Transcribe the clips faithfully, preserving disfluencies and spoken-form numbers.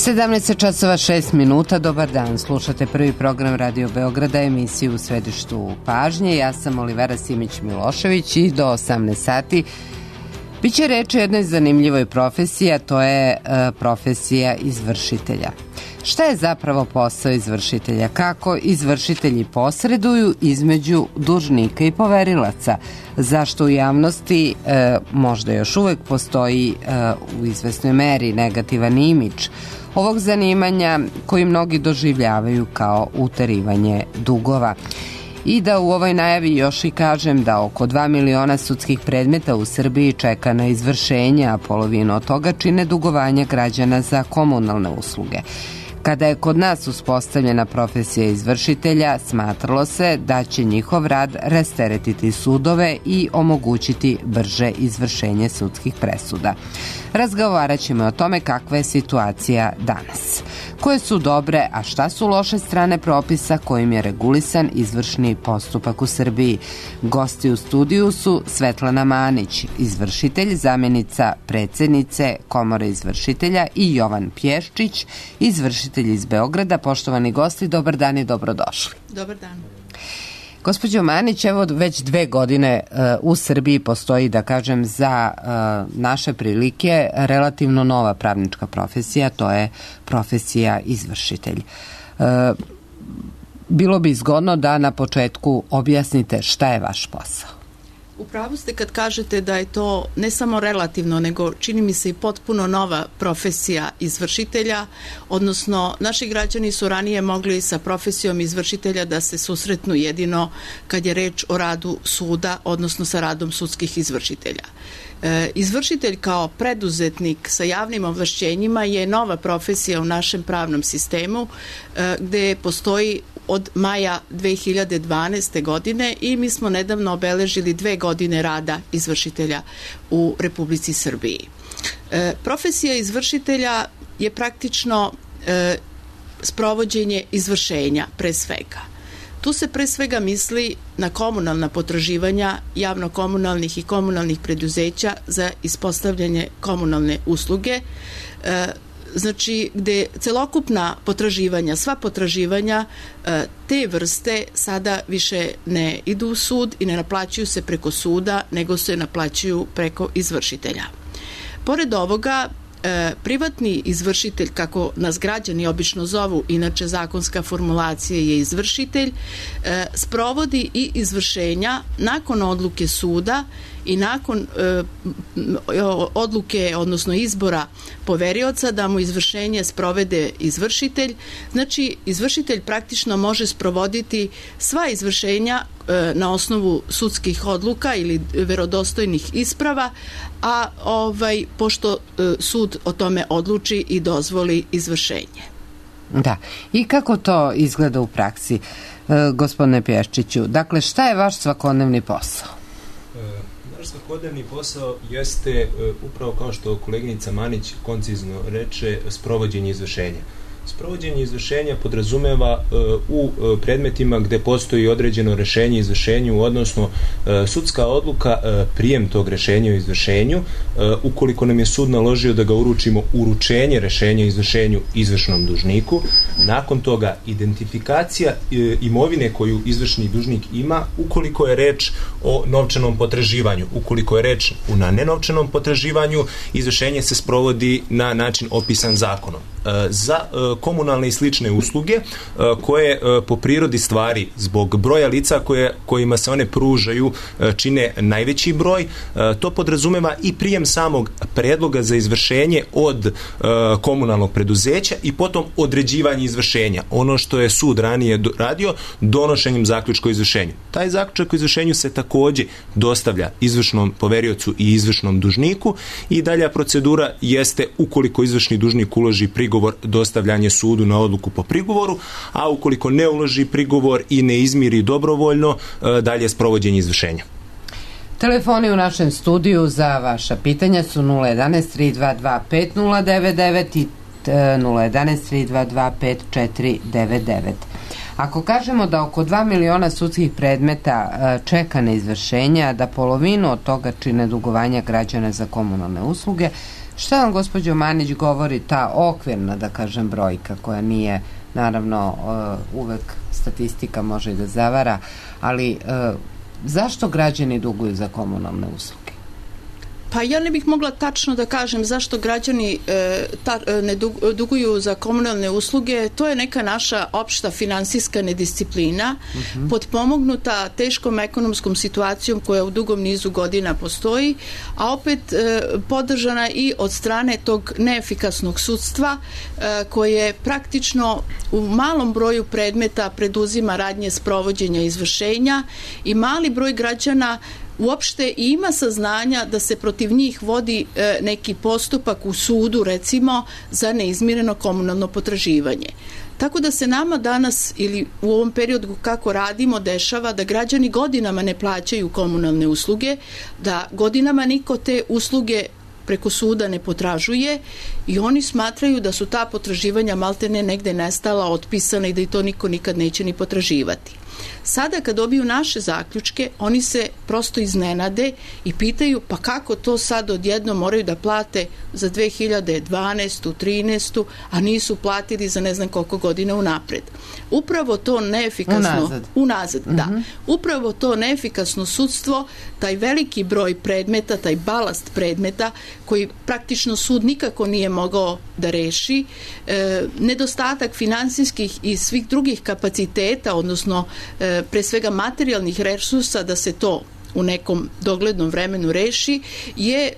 sedamnaest časova šest minuta, dobar dan. Slušate prvi program Radio Beograda, emisiju U središtu pažnje. Ja sam Olivera Simić-Milošević i do osamnaest sati biće reč o jednoj zanimljivoj profesiji, a to je e, profesija izvršitelja. Šta je zapravo posao izvršitelja? Kako izvršitelji posreduju između dužnika i poverilaca? Zašto u javnosti e, možda još uvek postoji e, u izvesnoj meri negativan imidž ovog zanimanja koji mnogi doživljavaju kao uterivanje dugova? I da u ovoj najavi još i kažem da oko dva miliona sudskih predmeta u Srbiji čeka na izvršenje, a polovinu od toga čine dugovanja građana za komunalne usluge. Kada je kod nas uspostavljena profesija izvršitelja, smatralo se da će njihov rad rasteretiti sudove i omogućiti brže izvršenje sudskih presuda. Razgovarat ćemo o tome kakva je situacija danas. Koje su dobre, a šta su loše strane propisa kojim je regulisan izvršni postupak u Srbiji? Gosti u studiju su Svetlana Manić, izvršitelj, zamjenica predsjednice Komore izvršitelja, i Jovan Pješčić, izvršitelj iz Beograda. Poštovani gosti, dobar dan i dobrodošli. Dobar dan. Gospođo Manić, evo već dve godine uh, u Srbiji postoji, da kažem, za uh, naše prilike relativno nova pravnička profesija, to je profesija izvršitelj. Uh, bilo bi zgodno da na početku objasnite šta je vaš posao. U pravu ste kad kažete da je to ne samo relativno, nego čini mi se i potpuno nova profesija izvršitelja, odnosno naši građani su ranije mogli sa profesijom izvršitelja da se susretnu jedino kad je reč o radu suda, odnosno sa radom sudskih izvršitelja. E, izvršitelj kao preduzetnik sa javnim ovlašćenjima je nova profesija u našem pravnom sistemu, e, gde postoji od maja dve hiljade dvanaeste. godine i mi smo nedavno obeležili dve godine rada izvršitelja u Republici Srbiji. E, profesija izvršitelja je praktično e, sprovođenje izvršenja pre svega. Tu se pre svega misli na komunalna potraživanja javno-komunalnih i komunalnih preduzeća za ispostavljanje komunalne usluge, e, znači gde celokupna potraživanja, sva potraživanja e, te vrste sada više ne idu u sud i ne naplaćuju se preko suda, nego se naplaćuju preko izvršitelja. Pored ovoga, E, privatni izvršitelj, kako nas građani obično zovu, inače zakonska formulacija je izvršitelj, e, sprovodi i izvršenja nakon odluke suda i nakon e, odluke, odnosno izbora poverioca da mu izvršenje sprovede izvršitelj. Znači, izvršitelj praktično može sprovoditi sva izvršenja e, na osnovu sudskih odluka ili verodostojnih isprava, a ovaj, pošto e, sud o tome odluči i dozvoli izvršenje. Da. I kako to izgleda u praksi, e, gospodine Pješčiću? Dakle, šta je vaš svakodnevni posao? Naš svakodnevni posao jeste, upravo kao što koleginica Manić koncizno reče, sprovođenje izvršenja. Sprovođenje izvršenja podrazumeva uh, u uh, predmetima gde postoji određeno rešenje izvršenju, odnosno uh, sudska odluka, uh, prijem tog rešenja o izvršenju, uh, ukoliko nam je sud naložio da ga uručimo, uručenje rešenja o izvršenju izvršnom dužniku, nakon toga identifikacija uh, imovine koju izvršni dužnik ima, ukoliko je reč o novčanom potraživanju. Ukoliko je reč na nenovčanom potraživanju, izvršenje se sprovodi na način opisan zakonom. Uh, za uh, komunalne i slične usluge koje po prirodi stvari zbog broja lica koje, kojima se one pružaju čine najveći broj. To podrazumeva i prijem samog predloga za izvršenje od komunalnog preduzeća i potom određivanje izvršenja. Ono što je sud ranije radio donošenjem zaključka o izvršenju. Taj zaključak o izvršenju se takođe dostavlja izvršnom poveriocu i izvršnom dužniku i dalja procedura jeste, ukoliko izvršni dužnik uloži prigovor, dostavljanje sudu na odluku po prigovoru, a ukoliko ne uloži prigovor i ne izmiri dobrovoljno, dalje sprovođenje izvršenja. Telefoni u našem studiju za vaša pitanja su nula jedanaest tri dva dva pet nula devet devet i nula jedanaest tri dva dva pet četiri devet devet. Ako kažemo da oko dva miliona sudskih predmeta čeka na izvršenja, da polovinu od toga čine dugovanja građana za komunalne usluge, Šta vam, gospođo Manić, govori ta okvirna, da kažem, brojka koja nije, naravno, uvek statistika može i da zavara, ali zašto građani duguju za komunalne usluge? Pa ja ne bih mogla tačno da kažem zašto građani e, ta, ne duguju za komunalne usluge. To je neka naša opšta finansijska nedisciplina, uh-huh. potpomognuta teškom ekonomskom situacijom koja u dugom nizu godina postoji, a opet e, podržana i od strane tog neefikasnog sudstva e, koje praktično u malom broju predmeta preduzima radnje sprovođenja izvršenja i mali broj građana uopšte ima saznanja da se protiv njih vodi e, neki postupak u sudu, recimo, za neizmireno komunalno potraživanje. Tako da se nama danas ili u ovom periodu kako radimo dešava da građani godinama ne plaćaju komunalne usluge, da godinama niko te usluge preko suda ne potražuje i oni smatraju da su ta potraživanja maltene negde nestala, otpisana i da i to niko nikad neće ni potraživati. Sada kad dobiju naše zaključke, oni se prosto iznenade i pitaju pa kako to sad odjedno moraju da plate za dve hiljade dvanaestu, trinaestu, a nisu platili za ne znam koliko godina unapred. Upravo to neefikasno... Unazad. Unazad, uh-huh. da. Upravo to neefikasno sudstvo, taj veliki broj predmeta, taj balast predmeta koji praktično sud nikako nije mogao da reši, e, nedostatak finansijskih i svih drugih kapaciteta, odnosno e, pre svega materijalnih resursa da se to u nekom doglednom vremenu reši, je e,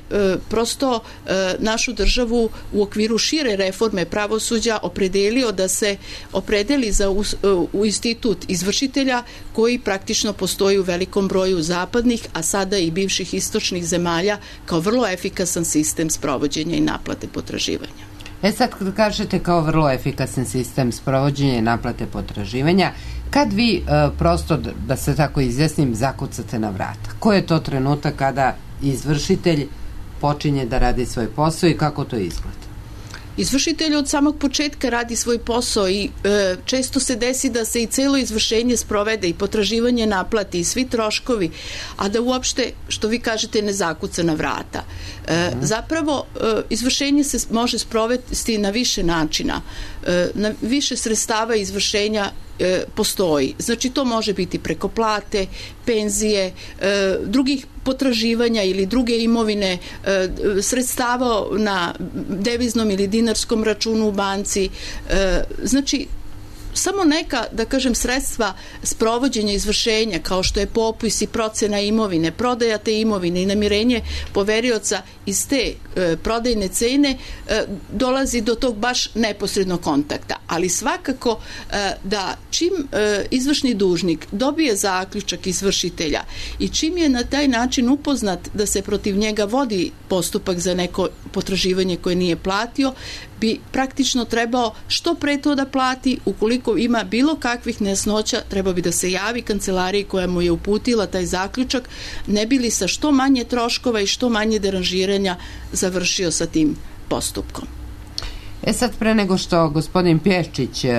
prosto e, našu državu u okviru šire reforme pravosuđa opredelio da se opredeli za us, e, u institut izvršitelja koji praktično postoji u velikom broju zapadnih, a sada i bivših istočnih zemalja kao vrlo efikasan sistem sprovođenja i naplate potraživanja. E sad kad kažete kao vrlo efikasan sistem sprovođenja i naplate potraživanja, kad vi e, prosto, da se tako izjasnim, zakucate na vrata? Koji je to trenutak kada izvršitelj počinje da radi svoj posao i kako to izgleda? Izvršitelj od samog početka radi svoj posao i e, često se desi da se i celo izvršenje sprovede i potraživanje naplati i svi troškovi, a da uopšte, što vi kažete, ne zakuca na vrata. E, mm. Zapravo, e, izvršenje se može sprovesti na više načina. E, na više sredstava izvršenja e, postoji. Znači, to može biti preko plate, penzije, e, drugih potraživanja ili druge imovine, e, sredstava na deviznom ili dinarskom računu u banci. E, znači, samo neka, da kažem, sredstva sprovođenja izvršenja, kao što je popis i procena imovine, prodaja te imovine i namirenje poverioca iz te e, prodajne cene, e, dolazi do tog baš neposrednog kontakta. Ali svakako e, da čim e, izvršni dužnik dobije zaključak izvršitelja i čim je na taj način upoznat da se protiv njega vodi postupak za neko potraživanje koje nije platio, bi praktično trebao što pre to da plati. Ukoliko ima bilo kakvih nejasnoća, treba bi da se javi kancelariji koja mu je uputila taj zaključak, ne bi li sa što manje troškova i što manje deranžiranja završio sa tim postupkom. E sad, pre nego što gospodin Pješčić e,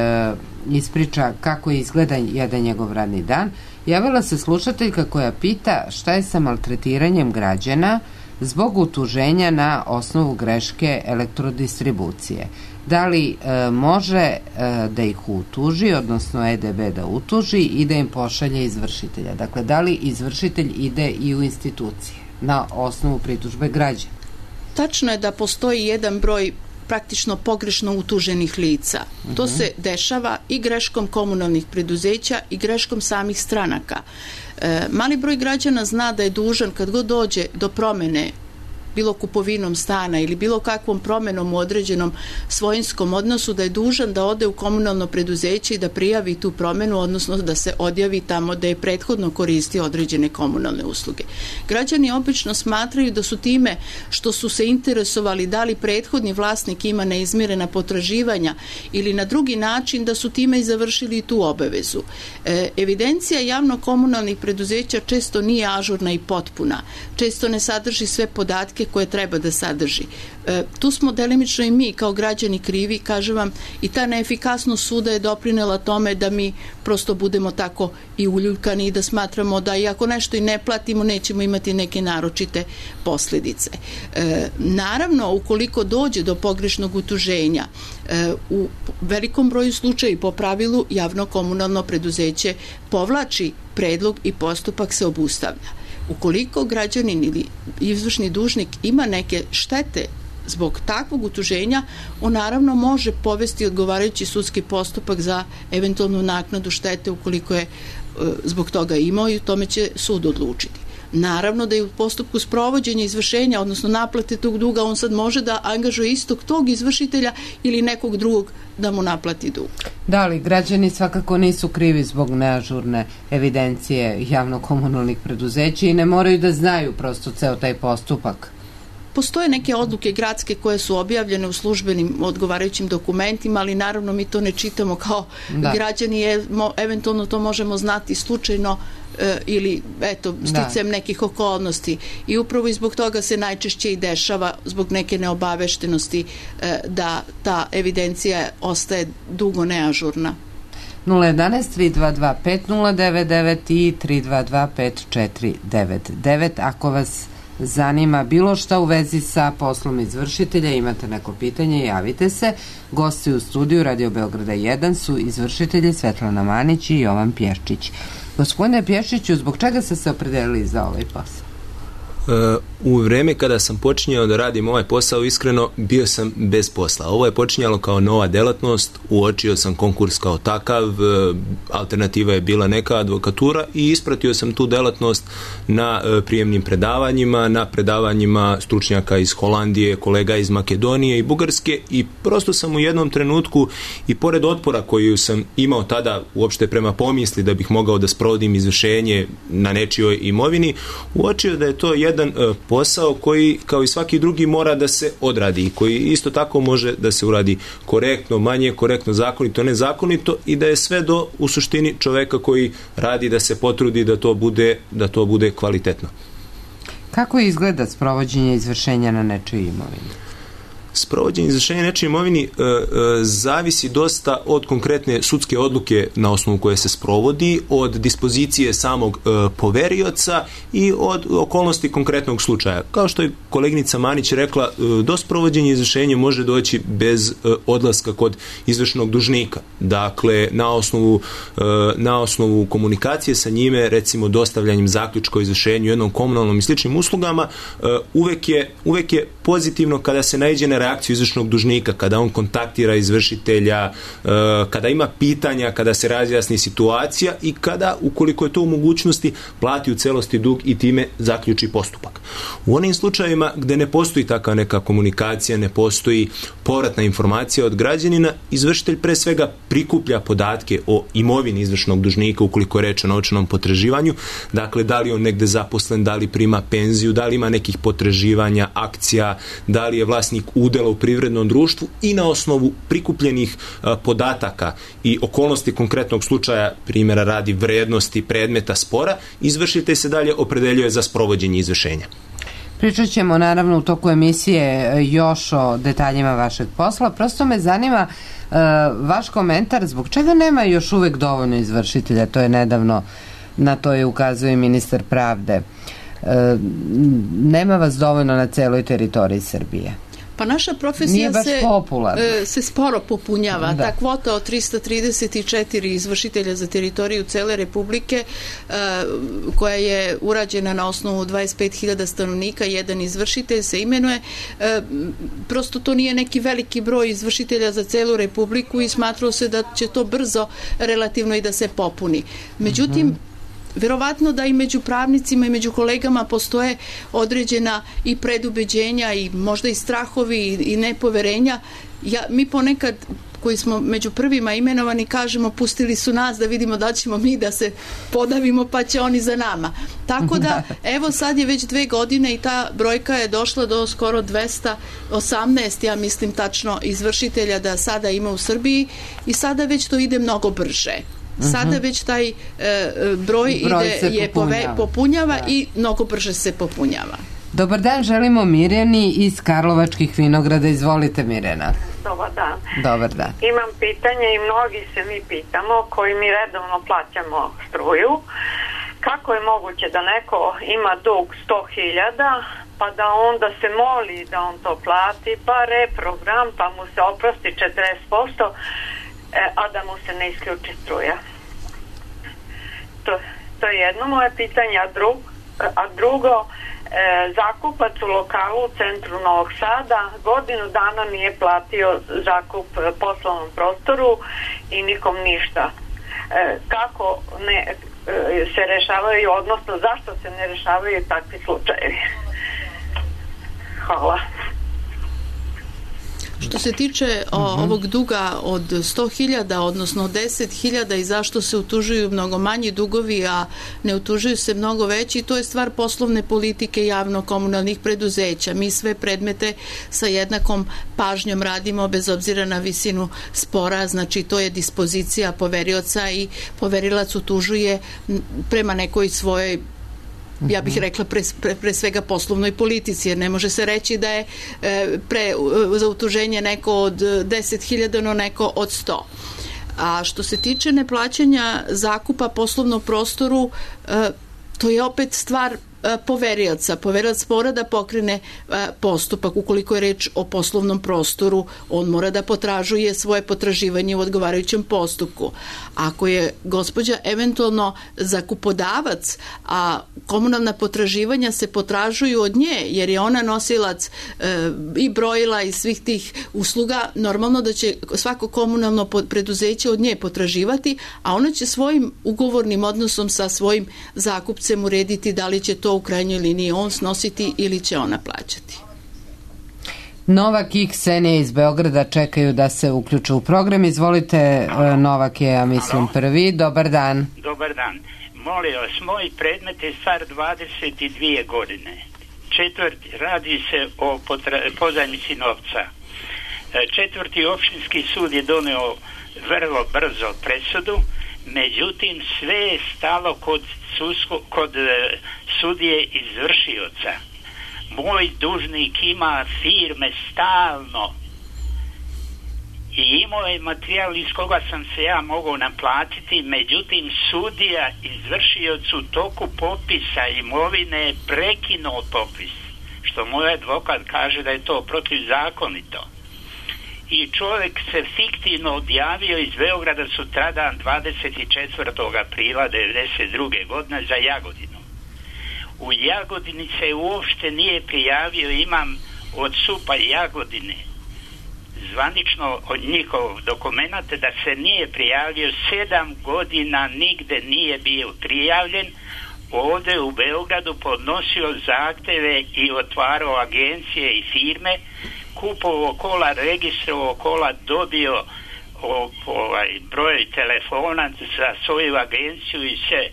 ispriča kako izgleda jedan njegov radni dan, javila se slušateljka koja pita šta je sa maltretiranjem građana zbog utuženja na osnovu greške elektrodistribucije. Da li e, može e, da ih utuži, odnosno E D B da utuži i da im pošalje izvršitelja? Dakle, da li izvršitelj ide i u institucije na osnovu pritužbe građana? Tačno je da postoji jedan broj praktično pogrešno utuženih lica. Uh-huh. To se dešava i greškom komunalnih preduzeća i greškom samih stranaka. E, mali broj građana zna da je dužan kad god dođe do promene bilo kupovinom stana ili bilo kakvom promenom u određenom svojinskom odnosu, da je dužan da ode u komunalno preduzeće i da prijavi tu promenu, odnosno da se odjavi tamo da je prethodno koristio određene komunalne usluge. Građani obično smatraju da su time što su se interesovali da li prethodni vlasnik ima neizmirena potraživanja ili na drugi način, da su time i završili tu obavezu. E, evidencija javno-komunalnih preduzeća često nije ažurna i potpuna. Često ne sadrži sve podatke podatke koje treba da sadrži. E, tu smo delimično i mi kao građani krivi, kažem vam, i ta neefikasnost suda je doprinela tome da mi prosto budemo tako i uljuljkani i da smatramo da i ako nešto i ne platimo, nećemo imati neke naročite posljedice. E, naravno, ukoliko dođe do pogrešnog utuženja, e, u velikom broju slučaja po pravilu javno komunalno preduzeće povlači predlog i postupak se obustavlja. Ukoliko građanin ili izvršni dužnik ima neke štete zbog takvog utuženja, on naravno može povesti odgovarajući sudski postupak za eventualnu naknadu štete ukoliko je e, zbog toga imao i u tome će sud odlučiti. Naravno da je u postupku sprovođenja izvršenja, odnosno naplate tog duga, on sad može da angažuje istog tog izvršitelja ili nekog drugog da mu naplati dug. Da li građani svakako nisu krivi zbog neažurne evidencije javno-komunalnih preduzeća i ne moraju da znaju prosto ceo taj postupak? Postoje neke odluke gradske koje su objavljene u službenim odgovarajućim dokumentima, ali naravno mi to ne čitamo kao da. Građani, je, mo, eventualno to možemo znati slučajno e, ili eto, sticajem nekih okolnosti. I upravo i zbog toga se najčešće i dešava zbog neke neobaveštenosti e, da ta evidencija ostaje dugo neažurna. nula jedanaest tri dva dva pet nula devet devet i tri dva dva pet četiri devet devet. Ako vas zanima bilo šta u vezi sa poslom izvršitelja, imate neko pitanje, javite se. Gosti u studiju Radio Beograda jedan su izvršitelji Svetlana Manić i Jovan Pješčić. Gospodine Pješčiću, zbog čega ste se opredelili za ovaj posao? U vreme kada sam počinjao da radim ovaj posao, iskreno bio sam bez posla. Ovo je počinjalo kao nova delatnost, uočio sam konkurs kao takav, alternativa je bila neka advokatura i ispratio sam tu delatnost na prijemnim predavanjima, na predavanjima stručnjaka iz Holandije, kolega iz Makedonije i Bugarske i prosto sam u jednom trenutku i pored otpora koju sam imao tada uopšte prema pomisli da bih mogao da sprovodim izvršenje na nečijoj imovini, uočio da je to jedan jedan posao koji kao i svaki drugi mora da se odradi i koji isto tako može da se uradi korektno, manje korektno, zakonito, nezakonito i da je sve do u suštini čoveka koji radi da se potrudi da to bude, da to bude kvalitetno. Kako izgleda sprovođenje izvršenja na nečijoj imovini? Sprovođenje izvršenja nečije imovini e, e, zavisi dosta od konkretne sudske odluke na osnovu koje se sprovodi, od dispozicije samog e, poverioca i od okolnosti konkretnog slučaja. Kao što je koleginica Manić rekla, e, do sprovođenja izvršenja može doći bez e, odlaska kod izvršnog dužnika. Dakle, na osnovu, e, na osnovu komunikacije sa njime, recimo dostavljanjem zaključka o izvršenju jednom komunalnom i sličnim uslugama, e, uvek je, uvek je pozitivno kada se naiđe na reakciju izvršnog dužnika, kada on kontaktira izvršitelja, kada ima pitanja, kada se razjasni situacija i kada, ukoliko je to u mogućnosti, plati u celosti dug i time zaključi postupak. U onim slučajevima gde ne postoji takva neka komunikacija, ne postoji povratna informacija od građanina, izvršitelj pre svega prikuplja podatke o imovini izvršnog dužnika ukoliko je reč o novčanom potraživanju, dakle da li on negde zaposlen, da li prima penziju, da li ima nekih potraživanja, akcija, da li je vlasnik udela u privrednom društvu i na osnovu prikupljenih a, podataka i okolnosti konkretnog slučaja, primjera radi vrednosti predmeta spora, izvršitelj se dalje opredeljuje za sprovođenje izvršenja. Pričat ćemo naravno u toku emisije još o detaljima vašeg posla. Prosto me zanima uh, vaš komentar, zbog čega nema još uvek dovoljno izvršitelja? To je nedavno, na to je ukazuje i ministar pravde. Uh, nema vas dovoljno na celoj teritoriji Srbije. Pa naša profesija se, e, se sporo popunjava. Da. Ta kvota od trista trideset četiri izvršitelja za teritoriju cele Republike, e, koja je urađena na osnovu dvadeset pet hiljada stanovnika, jedan izvršitelj se imenuje. E, prosto to nije neki veliki broj izvršitelja za celu Republiku i smatralo se da će to brzo relativno i da se popuni. Međutim, mm-hmm. verovatno da i među pravnicima i među kolegama postoje određena i predubeđenja i možda i strahovi i, i nepoverenja. Ja, mi ponekad koji smo među prvima imenovani kažemo pustili su nas da vidimo da ćemo mi da se podavimo pa će oni za nama. Tako da evo sad je već dve godine i ta brojka je došla do skoro dvesta osamnaest, ja mislim tačno, izvršitelja da sada ima u Srbiji i sada već to ide mnogo brže. Sada već taj e, broj, broj ide je popunjava, pove, popunjava i mnogo brže se popunjava. Dobar dan, želimo Mirjani iz Karlovačkih Vinograda. Izvolite, Mirjana. Dobar dan. Dobar dan. Imam pitanje i mnogi se mi pitamo koji mi redovno plaćamo struju. Kako je moguće da neko ima dug sto hiljada pa da onda se moli da on to plati, pa reprogram, pa mu se oprosti četrdeset posto, a da mu se ne isključi struja? To, to je jedno moje pitanje, a, drug, a drugo, e, zakupac u lokalu u centru Novog Sada godinu dana nije platio zakup poslovnom prostoru i nikom ništa. E, kako ne e, se rešavaju, odnosno zašto se ne rešavaju takvi slučajevi? Hvala. Što se tiče o, ovog duga od sto hiljada, odnosno deset hiljada i zašto se utužuju mnogo manji dugovi, a ne utužuju se mnogo veći, to je stvar poslovne politike javno-komunalnih preduzeća. Mi sve predmete sa jednakom pažnjom radimo bez obzira na visinu spora, znači to je dispozicija poverioca i poverilac utužuje prema nekoj svojoj, ja bih rekla pre, pre, pre svega poslovnoj politici, jer ne može se reći da je e, pre za utuženje neko od deset hiljada, no neko od sto. A što se tiče neplaćanja zakupa poslovnom prostoru, e, to je opet stvar poverioca. Poverilac mora da pokrene postupak. Ukoliko je reč o poslovnom prostoru, on mora da potražuje svoje potraživanje u odgovarajućem postupku. Ako je gospođa eventualno zakupodavac, a komunalna potraživanja se potražuju od nje, jer je ona nosilac e, i brojila i svih tih usluga, normalno da će svako komunalno preduzeće od nje potraživati, a ona će svojim ugovornim odnosom sa svojim zakupcem urediti da li će to u krajnjoj liniji on snositi ili će ona plaćati. Novak i Ksenija iz Beograda čekaju da se uključe u program. Izvolite, Halo. Novak je, ja mislim, prvi. Dobar dan. Dobar dan. Molim vas, moj predmet je star dvadeset dvije godine. Četvrti, radi se o potra- pozajmici novca. Četvrti opštinski sud je doneo vrlo brzo presudu, međutim sve je stalo kod, susko, kod e, sudije izvršioca. Moj dužnik ima firme stalno i imao je materijal iz koga sam se ja mogao naplatiti, međutim sudija izvršioc u toku popisa imovine je prekinuo popis, što moj advokat kaže da je to protivzakonito. I čovjek se fiktivno odjavio iz Beograda sutradan dvadeset četvrtog aprila devedeset druge godine za Jagodinu. U Jagodini se uopšte nije prijavio, imam od SUP-a Jagodine zvanično od njihovog dokumenta da se nije prijavio, sedam godina nigde nije bio prijavljen, ovdje u Beogradu podnosio zahteve i otvarao agencije i firme, kupovao kola, registrovao kola, dobio o, ovaj, broj telefona za svoju agenciju i sve.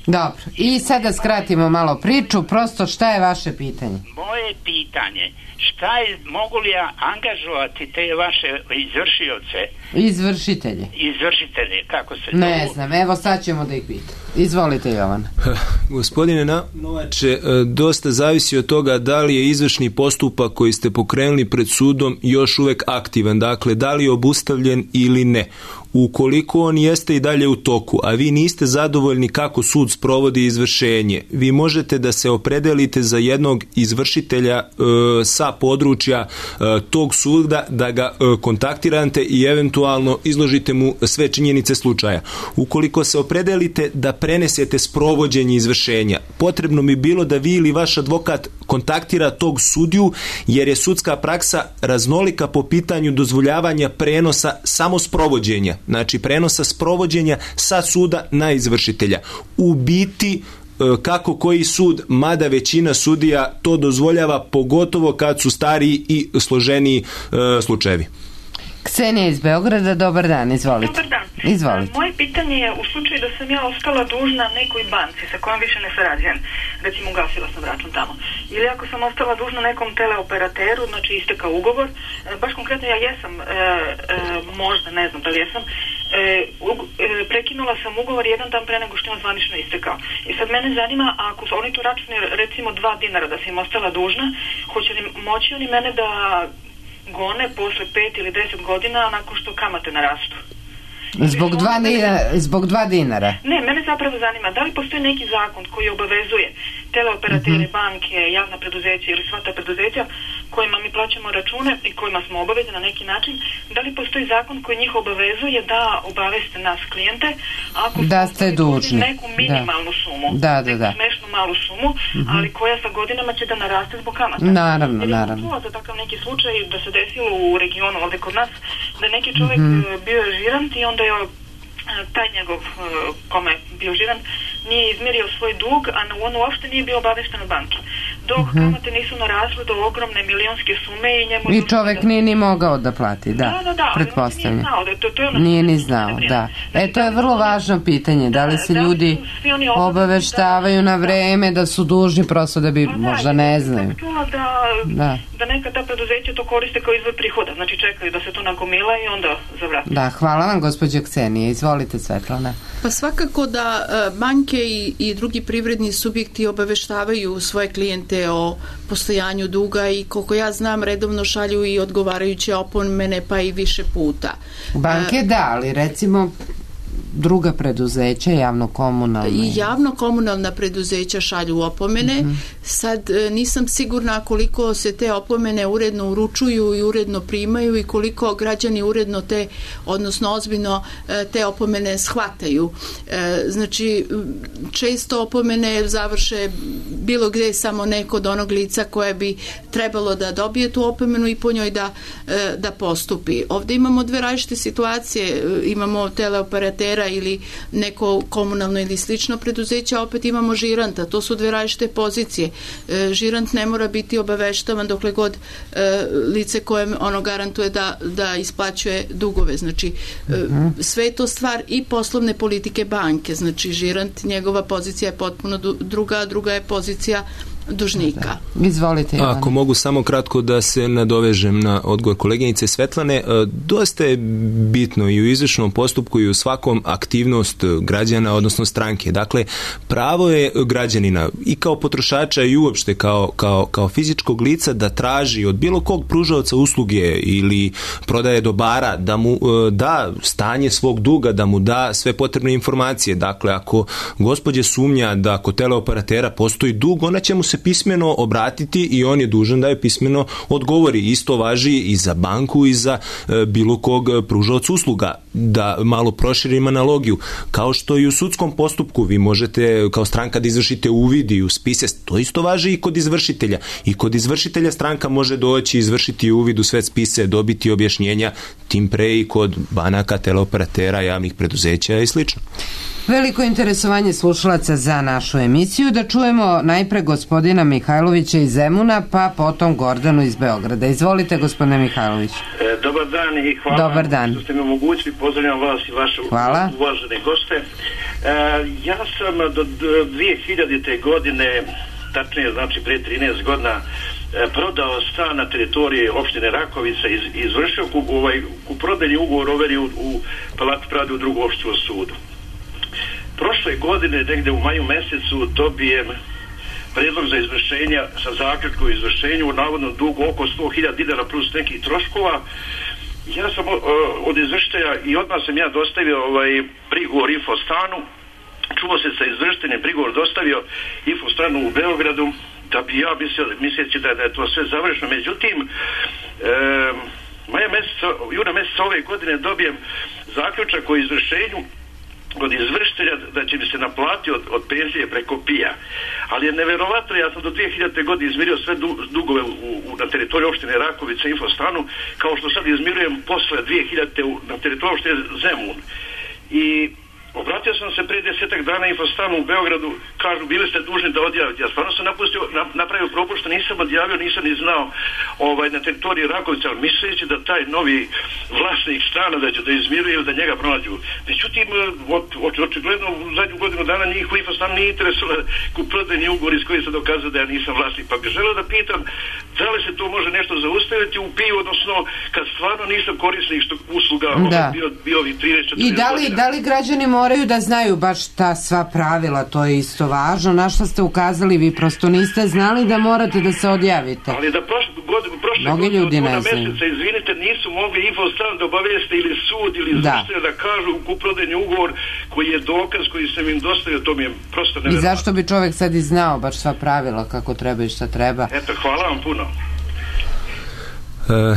Dobro, i sada skratimo malo priču, prosto šta je vaše pitanje? Moje pitanje, šta je, mogu li ja angažovati te vaše izvršioce? Izvršitelje. Izvršitelje, kako se to... Ne znam, evo sad ćemo da ih pitam. Izvolite, Jovan. Gospodine Novače, dosta zavisi od toga da li je izvršni postupak koji ste pokrenuli pred sudom još uvek aktivan, dakle da li je obustavljen ili ne. Ukoliko on jeste i dalje u toku, a vi niste zadovoljni kako sud sprovodi izvršenje, vi možete da se opredelite za jednog izvršitelja e, sa područja e, tog suda, da ga e, kontaktirate i eventualno izložite mu sve činjenice slučaja. Ukoliko se opredelite da prenesete sprovođenje izvršenja, potrebno bi bilo da vi ili vaš advokat kontaktira tog sudiju, jer je sudska praksa raznolika po pitanju dozvoljavanja prenosa samo sprovođenja. Znači prenosa sprovođenja sa suda na izvršitelja. U biti kako koji sud, mada većina sudija to dozvoljava, pogotovo kad su stariji i složeniji e, slučajevi. Ksenija iz Beograda, dobar dan, izvolite. Dobar dan. Izvolite. Moje pitanje je u slučaju da sam ja ostala dužna nekoj banci sa kojom više ne sarađujem, recimo ugasila sam račun tamo, ili ako sam ostala dužna nekom teleoperateru, znači istekao ugovor, baš konkretno ja jesam, e, e, možda, ne znam da li jesam, E, ug, e, prekinula sam ugovor jedan dan pre nego što je on zvanično istekao. I sad mene zanima, ako su oni tu računi recimo dva dinara da sam im ostala dužna, hoće li moći oni mene da gone posle pet ili deset godina nakon što kamate narastu? Zbog dva, dinara, zbog dva dinara? Ne, mene zapravo zanima, da li postoji neki zakon koji obavezuje teleoperatere, uh-huh. banke, javna preduzeća ili sva ta preduzeća kojima mi plaćamo račune i kojima smo obavezni na neki način, da li postoji zakon koji njih obavezuje da obaveste nas klijente ako da ste dužni neku minimalnu da. sumu, da, da, da. neku smešnu malu sumu, uh-huh. ali koja sa godinama će da naraste zbog kamata. Naravno, jer naravno. Jer je za takav neki slučaj da se desilo u regionu ovde kod nas, da neki čovjek uh-huh. bio je žirant i onda je taj njegov kome je bio žiran nije izmirio svoj dug, a on uopšte nije bio obavešten od banke. Dok uh-huh. kamate nisu narasle do ogromne milionske sume i njemu... I čovek da... nije ni mogao da plati, da, da, da, da pretpostavljam. Nije znao, da, to, to je ono nije ni znao, da. E, to je vrlo važno pitanje, da li se da, ljudi da obaveštavaju da, na vreme, da su dužni prosto da bi, pa, možda da, ne znaju. Da, da. da neka ta preduzeća to koriste kao izvor prihoda, znači čekaju da se to nagomila i onda zavrati. Da, hvala vam, gospođo Ksenija, izvolite, Svetlana. Pa svakako da banke i, i drugi privredni subjekti obaveštavaju svoje klijente o postojanju duga i koliko ja znam redovno šalju i odgovarajuće opomene pa i više puta. Banke da, ali recimo druga preduzeća, javno-komunalna. I javno-komunalna preduzeća šalju opomene. Uh-huh. Sad nisam sigurna koliko se te opomene uredno uručuju i uredno primaju i koliko građani uredno te, odnosno ozbiljno te opomene shvataju. Znači, često opomene završe bilo gde samo neko od onog lica koje bi trebalo da dobije tu opomenu i po njoj da, da postupi. Ovde imamo dve različite situacije. Imamo teleoperatera ili neko komunalno ili slično preduzeće, a opet imamo žiranta. To su dve različite pozicije. E, žirant ne mora biti obaveštavan dokle god e, lice kojem ono garantuje da, da isplaćuje dugove. Znači, e, sve je to stvar i poslovne politike banke. Znači, žirant, njegova pozicija je potpuno druga, a druga je pozicija dužnika. Da. Izvolite, Ivan. Ako mogu samo kratko da se nadovežem na odgovor koleginice Svetlane, dosta je bitno i u izvršnom postupku i u svakom aktivnost građana, odnosno stranke. Dakle, pravo je građanina i kao potrošača i uopšte kao, kao, kao fizičkog lica da traži od bilo kog pružaoca usluge ili prodaje dobara da mu da stanje svog duga, da mu da sve potrebne informacije. Dakle, ako gospođe sumnja da kod teleoperatera postoji dug, ona će mu se pismeno obratiti i on je dužan da je pismeno odgovori. Isto važi i za banku i za e, bilo kog pružaoca usluga. Da malo proširim analogiju. Kao što i u sudskom postupku vi možete kao stranka da izvršite uvid i u spise, to isto važi i kod izvršitelja. I kod izvršitelja stranka može doći izvršiti uvid u sve spise, dobiti objašnjenja, tim pre i kod banaka, teleoperatera, javnih preduzeća i slično. Veliko interesovanje slušalaca za našu emisiju. Da čujemo najpre gospodina Mihajlovića iz Zemuna, pa potom Gordanu iz Beograda. Izvolite, gospodine Mihajlović. E, dobar dan i hvala dobar dan. što ste mi omogućili. Pozdravljam vas i vaše hvala. uvažene goste. E, ja sam do dve hiljadite godine, tačnije znači pre trinaest godina, e, prodao stan na teritoriji opštine Rakovica i iz, izvršio ku, ovaj, ku prodajni ugovor overi u, u Palati pravde u drugom opštinskom sudu. Prošle godine, negde u maju mesecu, dobijem predlog za izvršenja sa zaključkom o izvršenju u navodnom dugu oko sto hiljada dinara plus nekih troškova. Ja sam o, od izvršitelja i odmah sam ja dostavio ovaj prigovor Infostanu. Čuo se sa izvršiteljem, prigovor dostavio Infostanu u Beogradu, da bi ja mislio, misleći da, da je to sve završeno. Međutim, e, maja meseca, juna meseca ove godine dobijem zaključak o izvršenju od izvršitelja da će mi se naplatiti od, od penzije preko pija. Ali je neverovatno, ja sam do dve hiljadite godine izmirio sve du, dugove u, u, na teritoriju opštine Rakovica Infostanu, kao što sad izmirujem posle dve hiljadite u, na teritoriju opštine Zemun. I obratio sam se pre desetak dana Infostanu u Beogradu, kažu bili ste dužni da odjavite. Ja stvarno sam napustio, napravio propust, nisam odjavio, nisam ni znao ovaj, na teritoriji Rakovica, ali misleći da taj novi vlasnik stana da će da izmiruje ili da njega pronađu. Međutim, očigledno u zadnju godinu dana njih u Infostanu nije interesovalo kuprodajni ugovor iz koji se dokazuje da ja nisam vlasnik. Pa bih želeo da pitam da li se to može nešto zaustaviti u piju, odnosno kad stvarno nisam korisnik što usluga da. bio, bio ovih trinaest četrnaest I da li, da li građani moraju da znaju baš ta sva pravila, to je isto važno, na što ste ukazali, vi prosto niste znali da morate da se odjavite. Ali da prošle godine, prošle godine od juna meseca, izvinite, nisu mogli Infostan da obaveste ili sud ili izvršitelj da. da kažu u kuprodajni ugovor koji je dokaz koji sam im dostavio, to mi je prosto nevjerojatno. I zašto bi čovjek sad i znao baš sva pravila, kako treba i šta treba? Eto, hvala vam puno. E,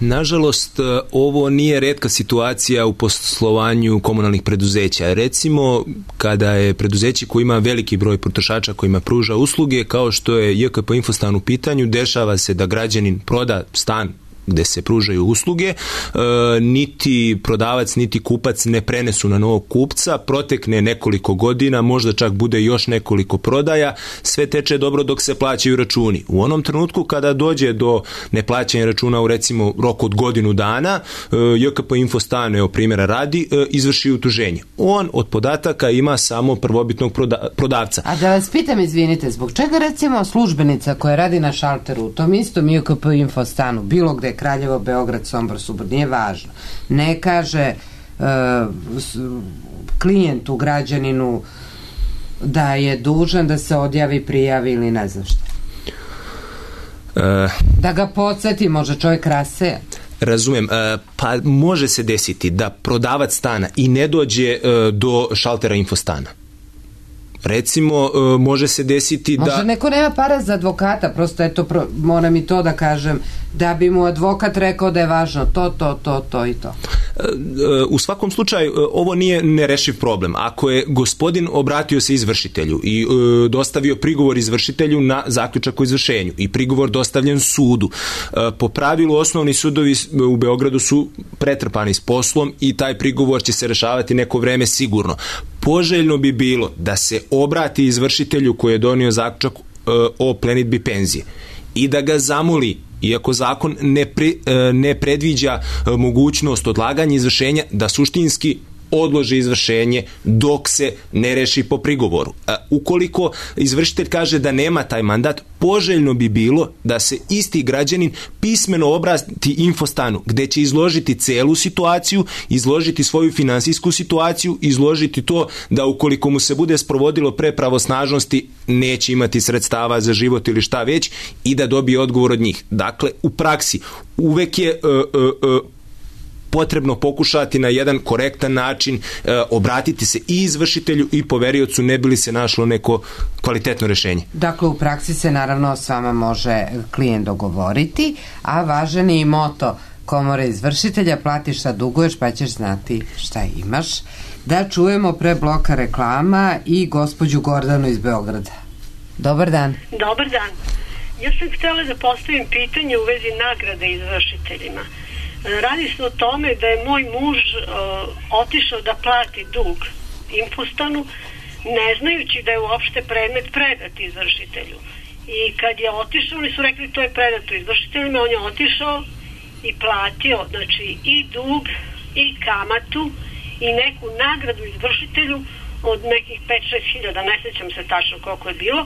nažalost, ovo nije retka situacija u poslovanju komunalnih preduzeća. Recimo, kada je preduzeće koje ima veliki broj potrošača kojima pruža usluge, kao što je J K P Infostan u pitanju, dešava se da građanin proda stan gde se pružaju usluge, e, niti prodavac, niti kupac ne prenesu na novog kupca, protekne nekoliko godina, možda čak bude još nekoliko prodaja, sve teče dobro dok se plaćaju računi. U onom trenutku kada dođe do neplaćanja računa u recimo roku od godinu dana, e, J K P Infostan, evo primjera radi, e, izvrši utuženje. On od podataka ima samo prvobitnog proda, prodavca. A da vas pitam, izvinite, zbog čega recimo službenica koja radi na šalteru u tom istom J K P Infostanu, bilo gde Kraljevo, Beograd, Sombor, Subor, nije važno, ne kaže uh, klijentu, građaninu da je dužan da se odjavi, prijavi ili ne znam šta? Uh, da ga podsjeti, može čovjek raseja. Razumem, uh, pa može se desiti da prodavac stana i ne dođe uh, do šaltera Infostana. Recimo, može se desiti da... Možda neko nema para za advokata, prosto eto, pro, moram i to da kažem, da bi mu advokat rekao da je važno to, to, to, to i to. U svakom slučaju, ovo nije nerešiv problem. Ako je gospodin obratio se izvršitelju i e, dostavio prigovor izvršitelju na zaključak o izvršenju i prigovor dostavljen sudu, e, po pravilu osnovni sudovi u Beogradu su pretrpani s poslom i taj prigovor će se rešavati neko vreme sigurno. Poželjno bi bilo da se obrati izvršitelju koji je donio zaključak e, o plenidbi penzije i da ga zamoli, iako zakon ne, pre, ne predviđa mogućnost odlaganja izvršenja, da suštinski odloži izvršenje dok se ne reši po prigovoru. Ukoliko izvršitelj kaže da nema taj mandat, poželjno bi bilo da se isti građanin pismeno obrati Infostanu, gde će izložiti celu situaciju, izložiti svoju finansijsku situaciju, izložiti to da ukoliko mu se bude sprovodilo pre pravosnažnosti neće imati sredstava za život ili šta već i da dobije odgovor od njih. Dakle, u praksi uvek je uh, uh, uh, potrebno pokušati na jedan korektan način e, obratiti se i izvršitelju i poveriocu, ne bi li se našlo neko kvalitetno rešenje. Dakle, u praksi se naravno s vama može klijent dogovoriti, a važan je i moto Komore izvršitelja, platiš šta duguješ pa ćeš znati šta imaš. Da čujemo pre bloka reklama i gospođu Gordanu iz Beograda. Dobar dan. Dobar dan. Ja sam htjela da postavim pitanje u vezi nagrade izvršiteljima. Radi se o tome da je moj muž uh, otišao da plati dug Infostanu, ne znajući da je uopšte predmet predat izvršitelju. I kad je otišao, oni su rekli to je predato izvršiteljima, on je otišao i platio, znači i dug i kamatu i neku nagradu izvršitelju od nekih pet do šest hiljada, ne sjećam se tačno koliko je bilo.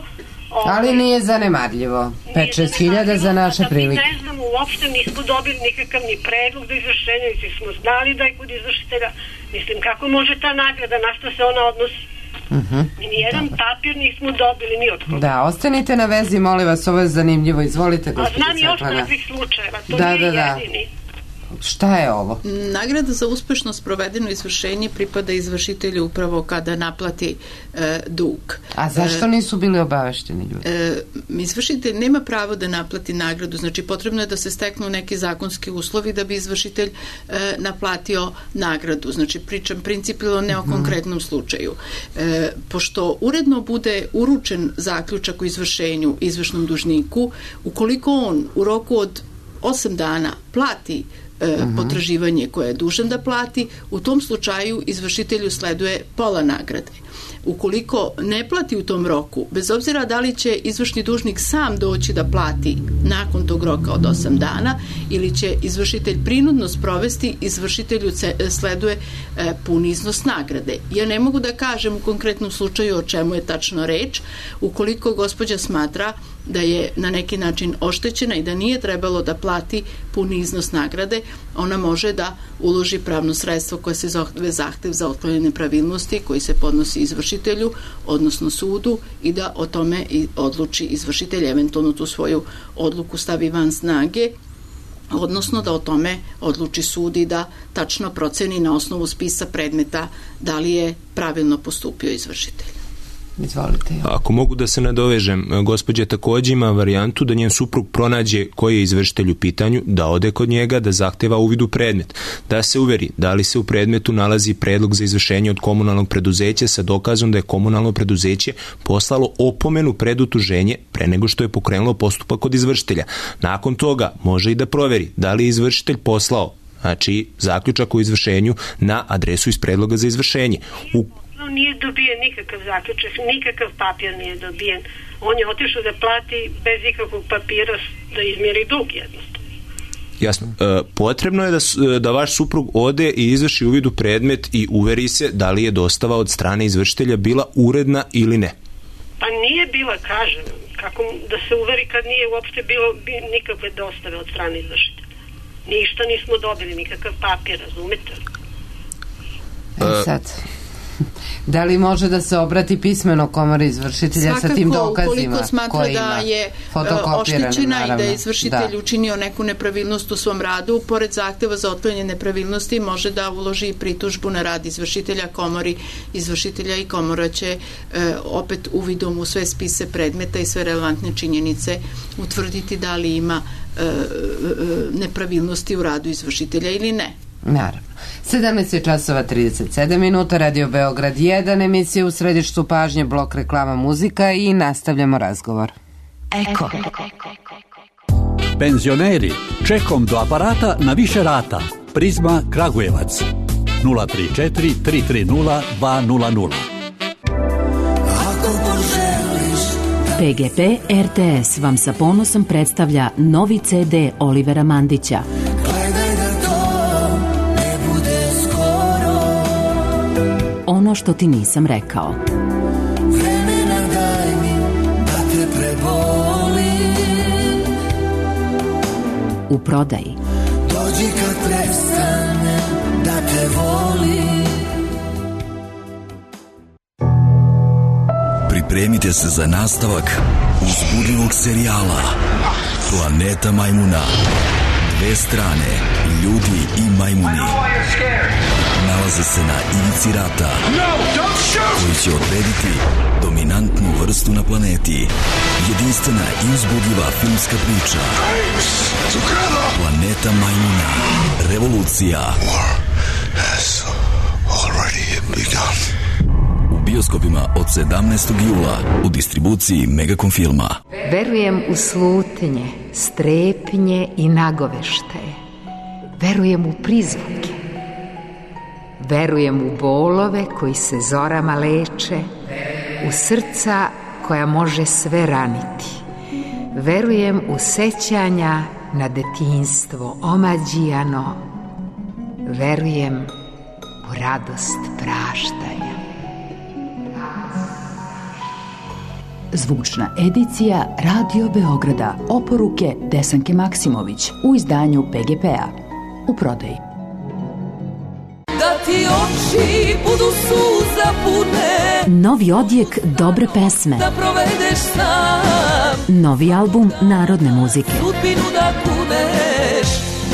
Ovaj, ali nije zanemarljivo. pet do šest hiljada za naše prilike. Ne znam, uopšte nismo dobili nikakav ni predlog do izvršenja, niti smo znali da je kod izvršitelja. Mislim, kako može ta nagrada, na što se ona odnosi? Uh-huh. Nijedan Dobar. papir nismo dobili ni od koga. Da, ostanite na vezi, molim vas, ovo je zanimljivo. Izvolite, gospođa Svetlana. A znam još takvih slučajeva, to da, nije da, da. jedini. Šta je ovo? Nagrada za uspešno sprovedeno izvršenje pripada izvršitelju upravo kada naplati e, dug. A zašto nisu bili obavešteni ljudi? E, izvršitelj nema pravo da naplati nagradu, znači potrebno je da se steknu neki zakonski uslovi da bi izvršitelj e, naplatio nagradu. Znači pričam principijalno ne o konkretnom slučaju. E, pošto uredno bude uručen zaključak o izvršenju izvršnom dužniku, ukoliko on u roku od osam dana plati Uh-huh. potraživanje koje je dužan da plati, u tom slučaju izvršitelju sleduje pola nagrade. ukoliko ne plati u tom roku, bez obzira da li će izvršni dužnik sam doći da plati nakon tog roka od osam dana ili će izvršitelj prinudno sprovesti, izvršitelju sleduje e, pun iznos nagrade. Ja ne mogu da kažem u konkretnom slučaju o čemu je tačno reč, ukoliko gospođa smatra da je na neki način oštećena i da nije trebalo da plati puni iznos nagrade, ona može da uloži pravno sredstvo koje se zove zahtev za otklanjanje nepravilnosti koji se podnosi izvršitelju, odnosno sudu, i da o tome i odluči izvršitelj, eventualno tu svoju odluku stavi van snage, odnosno da o tome odluči sud i da tačno proceni na osnovu spisa predmeta da li je pravilno postupio izvršitelj. Izvolite. Ako mogu da se nadovežem, gospođa takođe ima varijantu da njen suprug pronađe koji je izvršitelj u pitanju, da ode kod njega, da zahteva uvid u predmet, da se uveri da li se u predmetu nalazi predlog za izvršenje od komunalnog preduzeća sa dokazom da je komunalno preduzeće poslalo opomenu pred utuženje pre nego što je pokrenulo postupak kod izvršitelja. Nakon toga može i da proveri da li je izvršitelj poslao, znači zaključak o izvršenju, na adresu iz predloga za izvršenje. U Nije dobijen nikakav zaključak, nikakav papir nije dobijen. On je otišao da plati bez ikakvog papira da izmjeri dug jednostavno. Jasno. E, potrebno je da, da vaš suprug ode i izvrši uvid u predmet i uveri se da li je dostava od strane izvršitelja bila uredna ili ne. Pa nije bila, kažem, kako da se uveri kad nije uopšte bilo nikakve dostave od strane izvršitelja. Ništa nismo dobili, nikakav papir, razumete? E sad... Da li može da se obrati pismeno komori izvršitelja svakako, sa tim dokazima? Ukoliko smatra da je oštećena i da je izvršitelj da. učinio neku nepravilnost u svom radu, pored zahteva za otklanjanje nepravilnosti može da uloži pritužbu na rad izvršitelja komori izvršitelja i komora će e, opet uvidom u sve spise predmeta i sve relevantne činjenice utvrditi da li ima e, e, nepravilnosti u radu izvršitelja ili ne. Naravno. sedamnaest časova trideset sedam minuta, Radio Beograd jedan, emisija u središtu pažnje, blok reklama, muzika i nastavljamo razgovor. Eko. Penzioneri, čekom do aparata na više rata. Prizma Kragujevac nula tri četiri tri tri nula dva nula nula. P G P R T S vam sa ponosom predstavlja novi C D Olivera Mandića. Ono što ti nisam rekao. Vremena daj mi da te prebolim. U prodaji. Dođi kad prestane da te volim. Pripremite se za nastavak uzbudljivog serijala Planeta majmuna. Dve strane, ljudi i majmuni, nalaze se na ivici rata, koji će odrediti dominantnu vrstu na planeti. Jedinstvena i uzbudljiva filmska priča Planeta majmuna. Revolucija. U bioskopima od sedamnaestog jula u distribuciji Megacom filma. Verujem u slutnje, strepnje i nagoveštaje. Verujem u prizvuke. Verujem u bolove koji se zorama leče, u srca koja može sve raniti. Verujem u sećanja na detinjstvo omađijano. Verujem u radost praštanja. Zvučna edicija Radio Beograda. Oporuke Desanke Maksimović u izdanju P G P-a. U prodaji. Da ti oči budu suza pune. Novi odjek dobre pesme. Da provedeš sam. Novi album narodne muzike. Sudbinu da kuneš.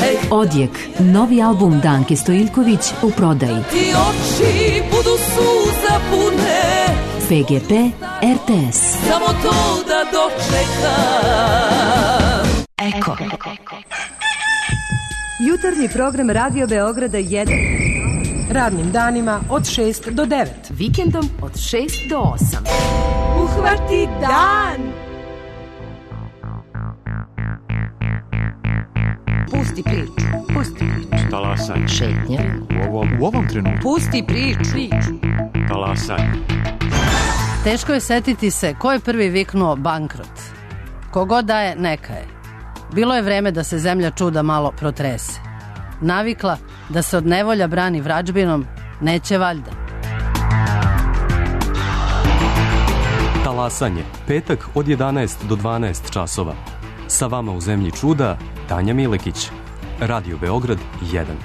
Ej. Odjek, novi album Danke Stojiljković u prodaji. Ti oči budu suza pune. P G P R T S. Samo to da dočekam. Eko. Jutarnji program Radio Beograda jedan. Radnim danima od šest do devet. Vikendom od šest do osam. Uhvati dan! Pusti priču. Pusti priču. Talasanje. Šetnja. U ovom, u ovom trenutku. Pusti priču. Talasanje. Teško je setiti se ko je prvi viknuo bankrot. Kogod daje, neka je. Bilo je vreme da se zemlja čuda malo protrese. Navikla da se od nevolja brani vrađbinom, neće valjda. Talasanje, petak od jedanaest do dvanaest časova. Sa vama u zemlji čuda, Tanja Milekić. Radio Beograd jedan.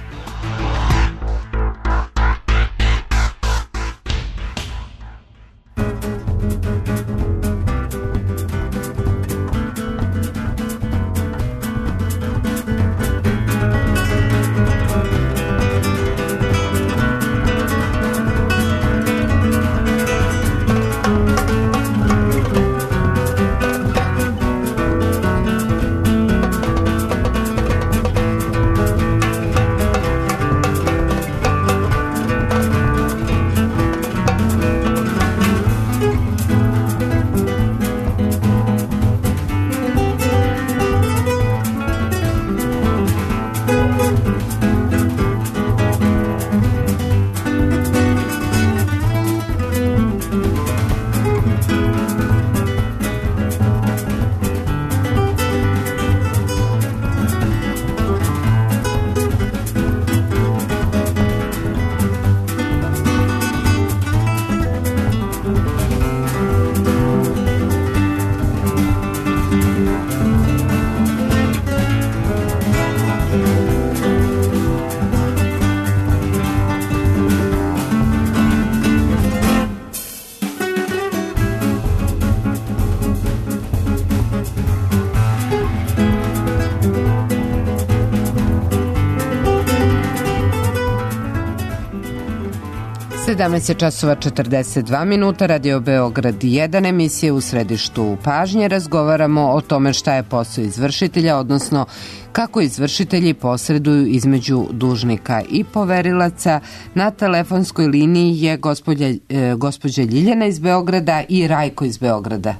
sedamnaest časova četrdeset dva minuta, Radio Beograd jedan, emisije u središtu pažnje. Razgovaramo o tome šta je posao izvršitelja, odnosno kako izvršitelji posreduju između dužnika i poverilaca. Na telefonskoj liniji je gospođa, e, gospođa Ljiljana iz Beograda i Rajko iz Beograda.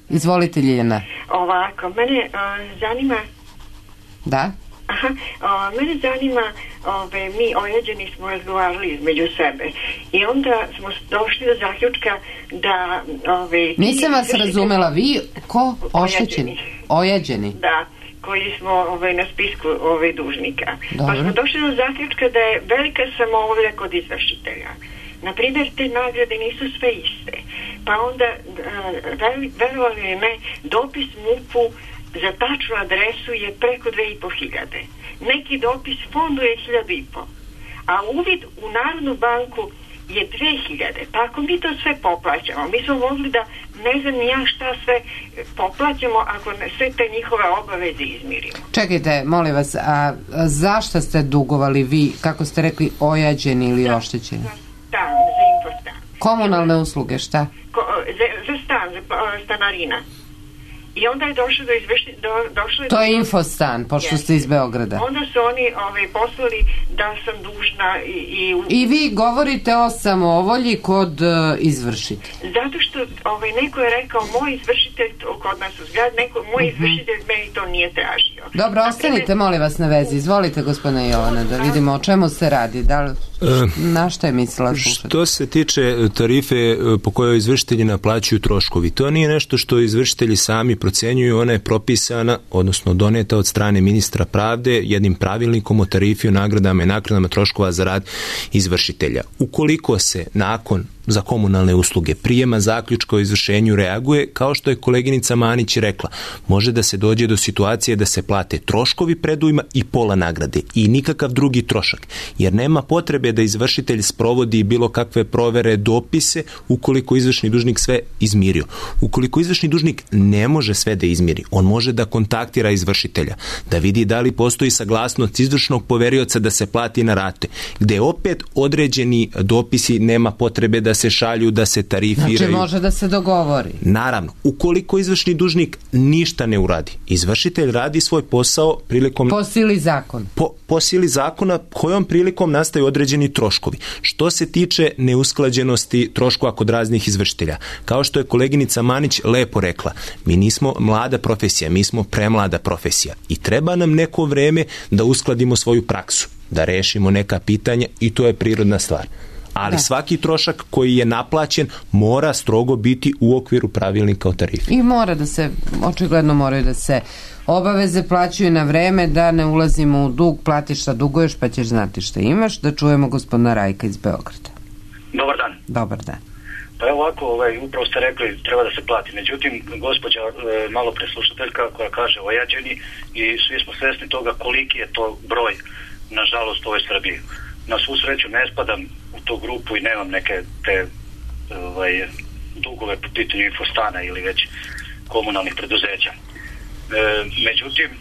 Izvolite, Ljiljana. Ovako, mene uh, zanima... Da? Aha, o, mene zanima, ove, mi ojeđeni smo razgovarali između sebe i onda smo došli do zaključka da... Ove, Nisam vas razumela, vi ko? Oštećeni? Ojeđeni? Da, koji smo ove, na spisku ove, dužnika. Dobro. Pa smo došli do zaključka da je velika samovolja kod izvršitelja. Naprimjer, te nagrade nisu sve iste. Pa onda, verovali li ne, dopis MUP-u za tačnu adresu je preko dve i po hiljade. Neki dopis fondu je hiljadu i po. A uvid u Narodnu banku je dve hiljade. Pa ako mi to sve poplaćamo, mi smo mogli da ne znam ni ja šta sve poplaćamo ako sve te njihove obaveze izmirimo. Čekajte, molim vas, a zašto ste dugovali vi, kako ste rekli, ojađeni ili za, oštećeni? Za stan, za infostan. Komunalne usluge, šta? Ko, za, za stan, za stanarina. I onda je došlo do izvrši... Do, došlo je to je do... infostan, pošto yes. ste iz Beograda. Onda su oni ovaj, poslali da sam dužna i... I, I vi govorite o samovolji kod uh, izvršitelja. Zato što ovaj, neko je rekao, moj izvršitelj, kod nas u zgrad, neko, moj uh-huh. izvršitelj meni to nije tražio. Dobro, ostanite, molim vas, na vezi. Izvolite, gospodina Jovana, da vidimo o čemu se radi. Da li, na što je mislila slušati? Što se tiče tarife po kojoj izvršitelji naplaćuju troškovi, to nije nešto što izvršitelji sami procenjuju, ona je propisana, odnosno doneta od strane ministra pravde jednim pravilnikom o tarifi o nagradama i naknadama troškova za rad izvršitelja. Ukoliko se nakon za komunalne usluge prijema zaključka o izvršenju reaguje, kao što je koleginica Manić rekla, može da se dođe do situacije da se plate troškovi predujma i pola nagrade i nikakav drugi trošak, jer nema potrebe da izvršitelj sprovodi bilo kakve provere, dopise, ukoliko izvršni dužnik sve izmirio. Ukoliko izvršni dužnik ne može sve da izmiri, on može da kontaktira izvršitelja, da vidi da li postoji saglasnost izvršnog poverioca da se plati na rate, gde opet određeni dopisi nema potrebe da se šalju, da se tarifiraju. Znači može da se dogovori. Naravno, ukoliko izvršni dužnik ništa ne uradi, izvršitelj radi svoj posao prilikom... Po sili zakona. Po, po sili zakona kojom prilikom nastaju određeni troškovi. Što se tiče neusklađenosti troškova kod raznih izvršitelja, kao što je koleginica Manić lepo rekla, mi nismo mlada profesija, mi smo premlada profesija i treba nam neko vreme da uskladimo svoju praksu. da rešimo neka pitanja i to je prirodna stvar. Ali da. Svaki trošak koji je naplaćen mora strogo biti u okviru pravilnika o tarifi. I mora da se, očigledno moraju da se obaveze plaćaju na vreme, da ne ulazimo u dug, platiš šta duguješ pa ćeš znati šta imaš. Da čujemo gospodina Rajka iz Beograda. Dobar dan. Dobar dan. Pa evo ovako, ovaj, upravo ste rekli treba da se plati. Međutim, gospođa e, malo preslušateljka koja kaže ojađeni i svi smo svesni toga koliki je to broj, nažalost, u ovoj Srbiji. Na svu sreću ne spadam u tu grupu i nemam neke te ovaj, dugove po pitanju infostana ili već komunalnih preduzeća. E, međutim, e,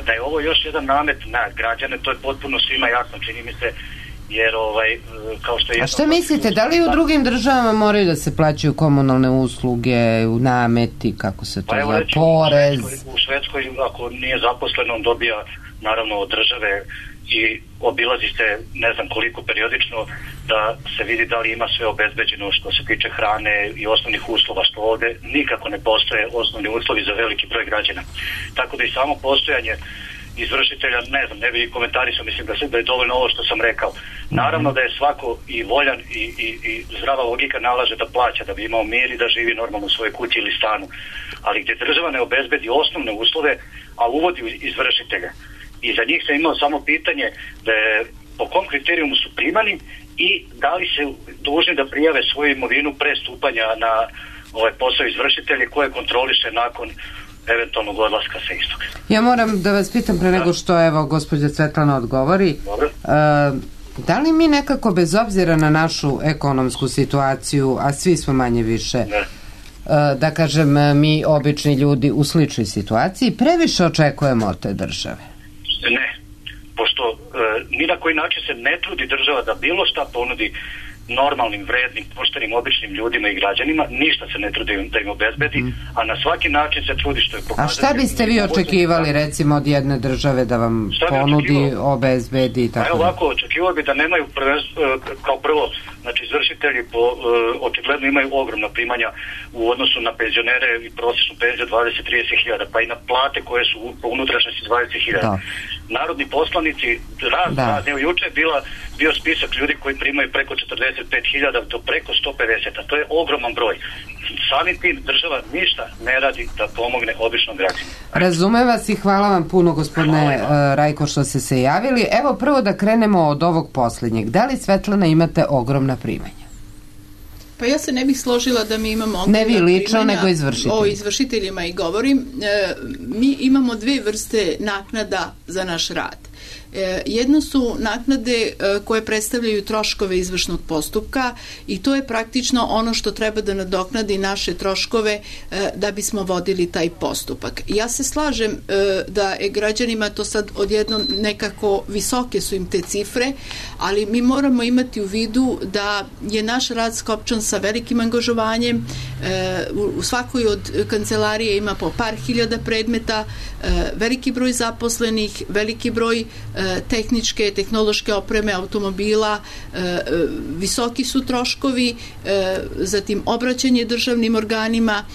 da je ovo još jedan namet na građane, to je potpuno svima jasno, čini mi se, jer ovaj, kao što je... A šta mislite, da li u drugim državama moraju da se plaćaju komunalne usluge, u nameti, kako se to pa zove, porez? U Švedskoj, u Švedskoj, ako nije zaposlen, on dobija naravno od države i obilazi se ne znam koliko periodično da se vidi da li ima sve obezbeđeno što se tiče hrane i osnovnih uslova, što ovde nikako ne postoje osnovni uslovi za veliki broj građana. Tako da i samo postojanje izvršitelja, ne znam, ne bi komentarisao, mislim da, se, da je dovoljno ovo što sam rekao. Naravno da je svako i voljan i, i, i zdrava logika nalaže da plaća, da bi imao mir i da živi normalno u svojoj kući ili stanu. Ali gdje država ne obezbedi osnovne uslove, a uvodi izvršitelja. I za njih sam imao samo pitanje da je, po kom kriterijumu su primani i da li se dužni da prijave svoju imovinu pre stupanja na ovaj posao izvršitelja koje kontroliše nakon eventualnog odlaska sa istoga. Ja moram da vas pitam pre nego što evo gospođa Svetlana odgovori. Dobro. Uh, da li mi nekako bez obzira na našu ekonomsku situaciju, a svi smo manje više, ne. Uh, da kažem mi obični ljudi u sličnoj situaciji, previše očekujemo od te države? Ne, pošto e, ni na koji način se ne trudi država da bilo šta ponudi normalnim, vrednim, poštenim, običnim ljudima i građanima, ništa se ne trudi da im obezbedi, mm. a na svaki način se trudi što je pokazati. A šta biste vi očekivali da, recimo od jedne države da vam ponudi, obezbedi i tako? Evo ovako, očekivao bi da nemaju prvenstvo, kao prvo, znači izvršitelji po, uh, očigledno imaju ogromna primanja u odnosu na penzionere i prosječnu penziju dvadeset do trideset hiljada, pa i na plate koje su po unutrašnjosti dvadeset hiljada. Narodni poslanici, raz, da. raz, evo juče je bila, bio spisak ljudi koji primaju preko četrdeset pet hiljada do preko sto pedeset, a to je ogroman broj. Samim tim država ništa ne radi da pomogne običnom građaninu. Razumem vas i hvala vam puno, gospodine uh, Rajko, što ste se javili. Evo prvo da krenemo od ovog posljednjeg. Da li, Svetlana, imate ogromna primanja? Pa ja se ne bih složila da mi imamo ogromna primanja. Ne vi lično, primanja. nego izvršitelji. O izvršiteljima i govorim. E, mi imamo dve vrste naknada za naš rad. Jedno su naknade koje predstavljaju troškove izvršnog postupka i to je praktično ono što treba da nadoknadi naše troškove da bismo vodili taj postupak. Ja se slažem da je građanima to sad odjedno nekako visoke su im te cifre, ali mi moramo imati u vidu da je naš rad skopčan sa velikim angažovanjem. U svakoj od kancelarije ima po par hiljada predmeta, veliki broj zaposlenih, veliki broj tehničke, tehnološke opreme automobila, visoki su troškovi, zatim obraćanje državnim organima,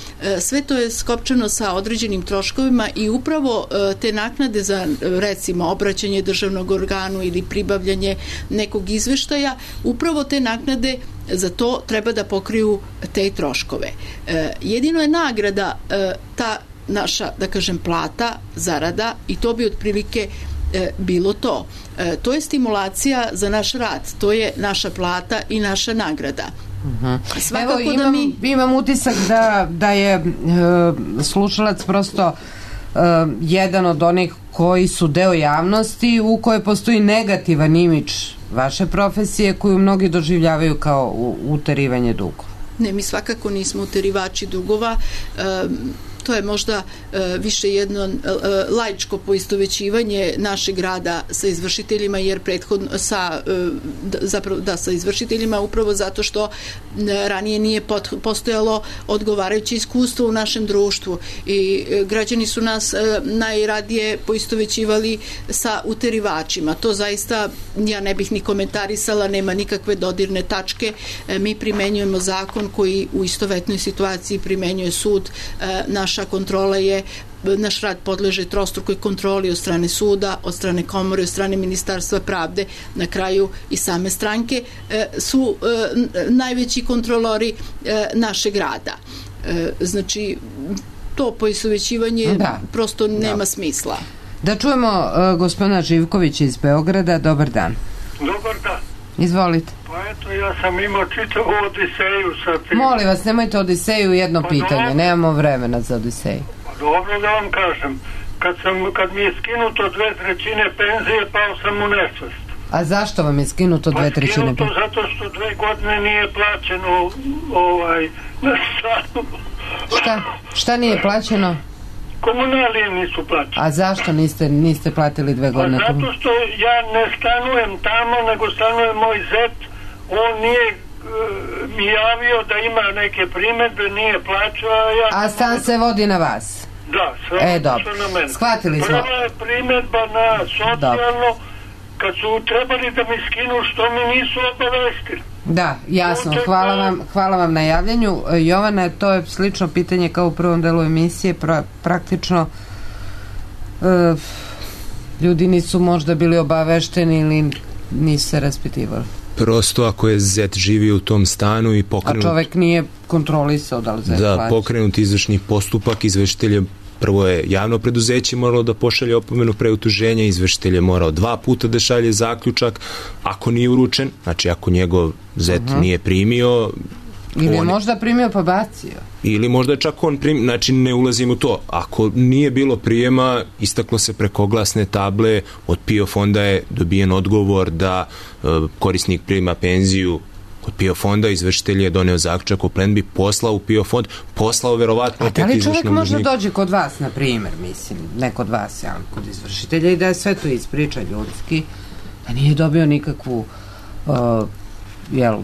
sve to je skopčano sa određenim troškovima i upravo te naknade za recimo obraćanje državnog organu ili pribavljanje nekog izveštaja, upravo te naknade za to treba da pokriju te troškove. Jedino je nagrada ta naša, da kažem, plata, zarada i to bi otprilike e, bilo to. E, to je stimulacija za naš rad, to je naša plata i naša nagrada. Uh-huh. Svakako Evo, imam, da mi... imam utisak da, da je e, slušalac prosto e, jedan od onih koji su deo javnosti u kojoj postoji negativan imidž vaše profesije koju mnogi doživljavaju kao uterivanje dugova. Ne, mi svakako nismo uterivači dugova. E, to je možda e, više jedno e, laičko poistovećivanje našeg rada sa izvršiteljima, jer prethodno sa, e, zapravo, da, sa izvršiteljima upravo zato što e, ranije nije pot, postojalo odgovarajuće iskustvo u našem društvu i e, građani su nas e, najradije poistovećivali sa uterivačima. To zaista ja ne bih ni komentarisala, nema nikakve dodirne tačke. E, mi primenjujemo zakon koji u istovetnoj situaciji primenjuje sud. E, naša kontrola je naš rad podleže trostrukoj kontroli od strane suda, od strane komore, od strane Ministarstva pravde, na kraju i same stranke su najveći kontrolori našeg rada. Znači, to poistovećivanje da. prosto nema da. smisla. Da čujemo uh, gospodina Živkovića iz Beograda. Dobar dan. Dobar dan. Izvolite. Pa eto, ja sam imao čitavu Odiseju sa tim. Molim vas, nemojte Odiseju, jedno pa pitanje. Dobro. Nemamo vremena za Odiseju. Pa dobro da vam kažem. Kad, sam, kad mi je skinuto dve trećine penzije, pao sam u nesvest. A zašto vam je skinuto dve trećine penzije? Pa skinuto zato što dve godine nije plaćeno ovaj, na stanu. Šta? Šta nije plaćeno? Komunalije nisu plaćene. A zašto niste, niste platili dve godine? Pa zato što ja ne stanujem tamo, nego stanuje moj zet. On nije uh, mi javio da ima neke primedbe, nije plaćao. A, ja a stan se vodi na vas? Da, sve e, dobro. na mene. Shvatili smo. Prva je primedba na socijalno, kad su trebali da mi skinu, što mi nisu obavestili. Da, jasno. Hvala vam, hvala vam na javljanju. Jovana, to je slično pitanje kao u prvom delu emisije. Pra, praktično uh, ljudi nisu možda bili obavešteni ili nisu se raspitivali. Prosto ako je zet živio u tom stanu i pokrenut... A čovek nije kontrolisao da li zet da, plaća. Pokrenut izvršni postupak, izvršitelj je prvo je javno preduzeće moralo da pošalje opomenu pre utuženja, izvršitelj je morao dva puta da šalje zaključak, ako nije uručen, znači ako njegov zet uh-huh. nije primio... Ili je on, možda primio pa bacio. Ili možda čak on primio, znači ne ulazim u to. Ako nije bilo prijema, istaklo se preko oglasne table, od P I O fonda je dobijen odgovor da uh, korisnik prima penziju od P I O fonda, izvršitelj je doneo zaključak o plenbi, poslao u P I O fond, poslao verovatno opet izvršnom dužniku. A da li čovjek možda dođe kod vas, na primjer, mislim, ne kod vas, ja, kod izvršitelja i da je sve to ispriča ljudski, da nije dobio nikakvu uh, jel,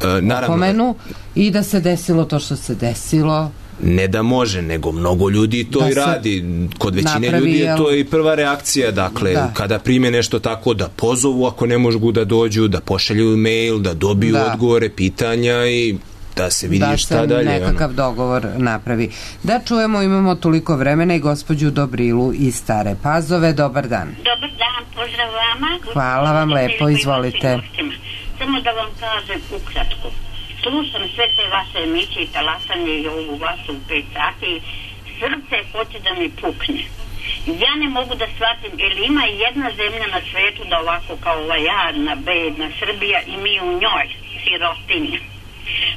e, opomenu i da se desilo to što se desilo? Ne da može, nego mnogo ljudi to da i radi. Kod većine napravi, ljudi je to i prva reakcija, dakle, da. Kada prime nešto tako, da pozovu ako ne mogu da dođu, da pošalju mail, da dobiju da. odgovore, pitanja i da se vidi da šta dalje. Da se nekakav ono. dogovor napravi. Da čujemo, imamo toliko vremena i gospođu Dobrilu iz Stare Pazove. Dobar dan. Dobar dan, pozdrav vama. Hvala vam lepo, izvolite. Samo da vam kažem ukratko. Slušam sve te vaše emisije i talasanje i ovu vašu u pet sati. Srce hoće da mi pukne. Ja ne mogu da shvatim, jer ima jedna zemlja na svetu da ovako kao ova jadna, bedna Srbija i mi u njoj, sirotinja.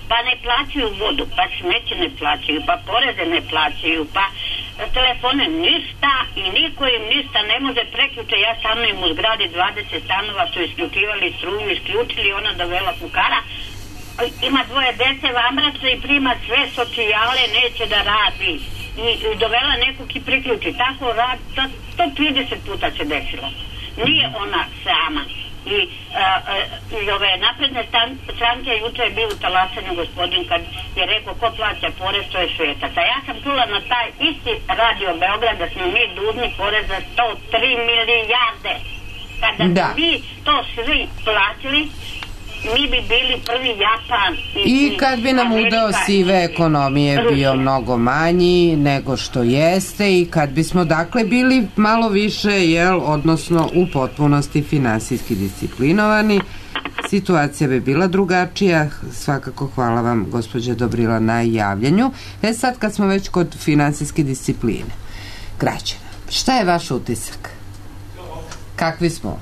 Pa ne plaćaju vodu, pa smeće ne plaćaju, pa poreze ne plaćaju, pa telefone ništa i niko im ništa ne može preključe. Ja stanujem u zgradi dvadeset stanova, su isključivali struju, isključili, ona dovela fukara. Ima dvoje dece vamraca i prima sve socijale, neće da radi i, i dovela nekog i priključi, tako radi, to, to trideset puta se desilo, nije ona sama i, a, a, i ove napredne stranke juče je bio u talasanju gospodin kad je rekao ko plaća porez, to je svetac, a ja sam čula na taj isti radio Beograd da smo mi dužni porez za sto tri milijarde, kada da. bi to svi plaćali mi bi bili prvi Japan i, i kad bi nam udeo sive ekonomije bio mnogo manji nego što jeste i kad bismo dakle bili malo više, jel, odnosno u potpunosti finansijski disciplinovani, situacija bi bila drugačija. Svakako hvala vam gospođa Dobrila na javljanju. E sad kad smo već kod finansijske discipline građana, šta je vaš utisak? Kakvi smo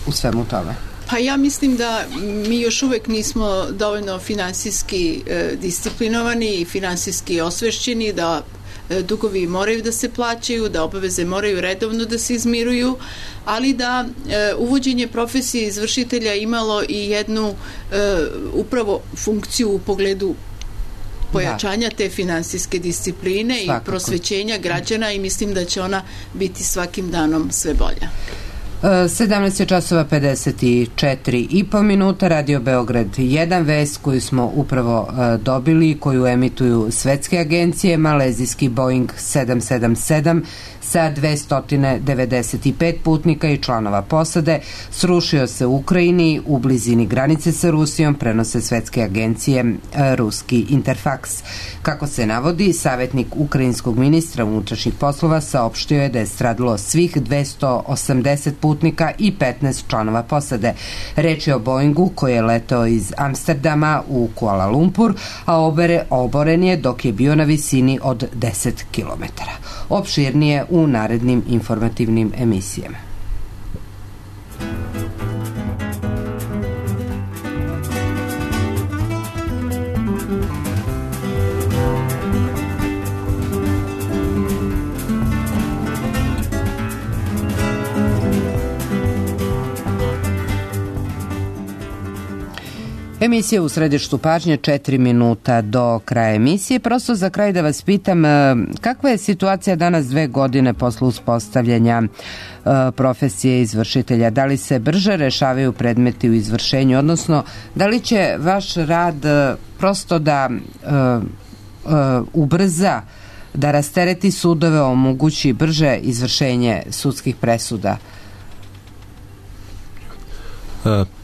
u svemu tome? Pa ja mislim da mi još uvek nismo dovoljno finansijski e, disciplinovani i finansijski osvešćeni, da e, dugovi moraju da se plaćaju, da obaveze moraju redovno da se izmiruju, ali da e, uvođenje profesije izvršitelja imalo i jednu e, upravo funkciju u pogledu pojačanja te finansijske discipline Svakako. i prosvećenja građana i mislim da će ona biti svakim danom sve bolja. sedamnaest časova pedeset četiri i po minuta, Radio Beograd jedan, vest koju smo upravo dobili, koju emituju svetske agencije. Malezijski Boeing sedam sedam sedam sa dvesta devedeset pet putnika i članova posade srušio se u Ukrajini u blizini granice sa Rusijom, prenose svetske agencije ruski Interfax. Kako se navodi, savjetnik ukrajinskog ministra unutrašnjih poslova saopštio je da je stradalo svih dvesta osamdeset putnika i petnaest članova posade. Reč je o Boeingu koji je letao iz Amsterdama u Kuala Lumpur, a obere, oboren je dok je bio na visini od deset kilometara. Opširnije u narednim informativnim emisijama. Emisija u središtu pažnje, četiri minuta do kraja emisije. Prosto za kraj da vas pitam, kakva je situacija danas dve godine posle uspostavljanja profesije izvršitelja? Da li se brže rešavaju predmeti u izvršenju, odnosno da li će vaš rad prosto da uh, uh, ubrza, da rastereti sudove, omogući brže izvršenje sudskih presuda?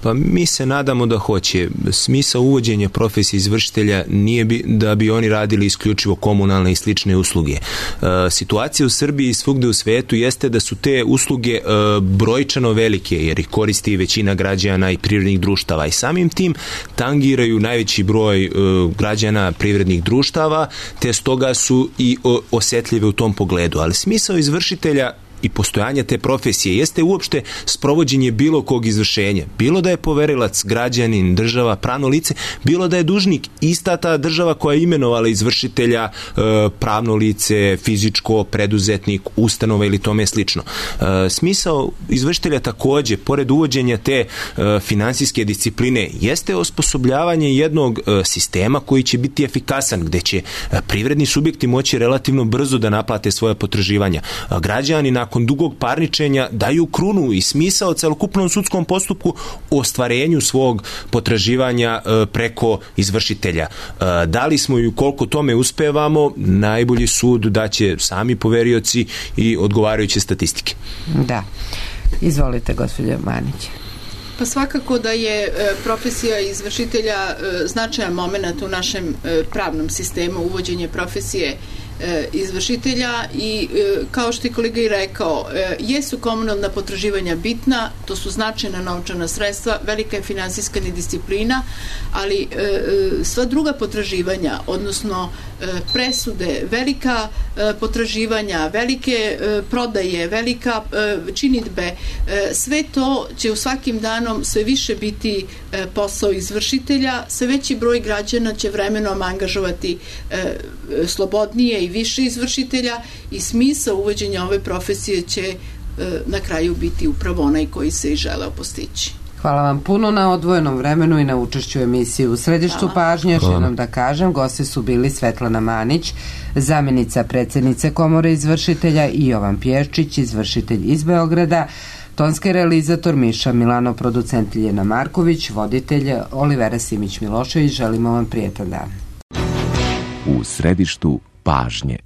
Pa mi se nadamo da hoće. Smisao uvođenja profesije izvršitelja nije bi, da bi oni radili isključivo komunalne i slične usluge. Situacija u Srbiji i svugde u svetu jeste da su te usluge brojčano velike, jer ih koristi većina građana i privrednih društava i samim tim tangiraju najveći broj građana privrednih društava, te stoga su i osetljive u tom pogledu. Ali smisao izvršitelja i postojanje te profesije jeste uopšte sprovođenje bilo kog izvršenja. Bilo da je poverilac, građanin, država, pravno lice, bilo da je dužnik, ista ta država koja je imenovala izvršitelja, pravno lice, fizičko, preduzetnik, ustanova ili tome slično. Smisao izvršitelja takođe, pored uvođenja te finansijske discipline, jeste osposobljavanje jednog sistema koji će biti efikasan, gde će privredni subjekti moći relativno brzo da naplate svoje potraživanja. Građani nakon dugog parničenja daju krunu i smisao celokupnom sudskom postupku ostvarenju svog potraživanja preko izvršitelja. Da li smo i koliko tome uspevamo, najbolji sud daće sami poverioci i odgovarajuće statistike. Da. Izvolite, gospođo Manić. Pa svakako da je profesija izvršitelja značajan moment u našem pravnom sistemu, uvođenje profesije izvršitelja i kao što je kolega i rekao, jesu komunalna potraživanja bitna, to su značajna novčana sredstva, velika je finansijska nedisciplina, ali sva druga potraživanja, odnosno presude, velika potraživanja, velike prodaje, velika činidbe, sve to će u svakim danom sve više biti posao izvršitelja, sve veći broj građana će vremenom angažovati slobodnije i više izvršitelja i smisao uvođenja ove profesije će na kraju biti upravo onaj koji se i želeo postići. Hvala vam puno na odvojenom vremenu i na učešću emisiji u središtu Hvala. pažnje. Još jednom da kažem, gosti su bili Svetlana Manić, zamjenica predsjednice Komore izvršitelja, i Jovan Pješčić, izvršitelj iz Beograda, tonski realizator Miša Milano, producent Ljiljana Marković, voditelj Olivera Simić Milošević. Želimo vam prijetan dan. U središtu pažnje.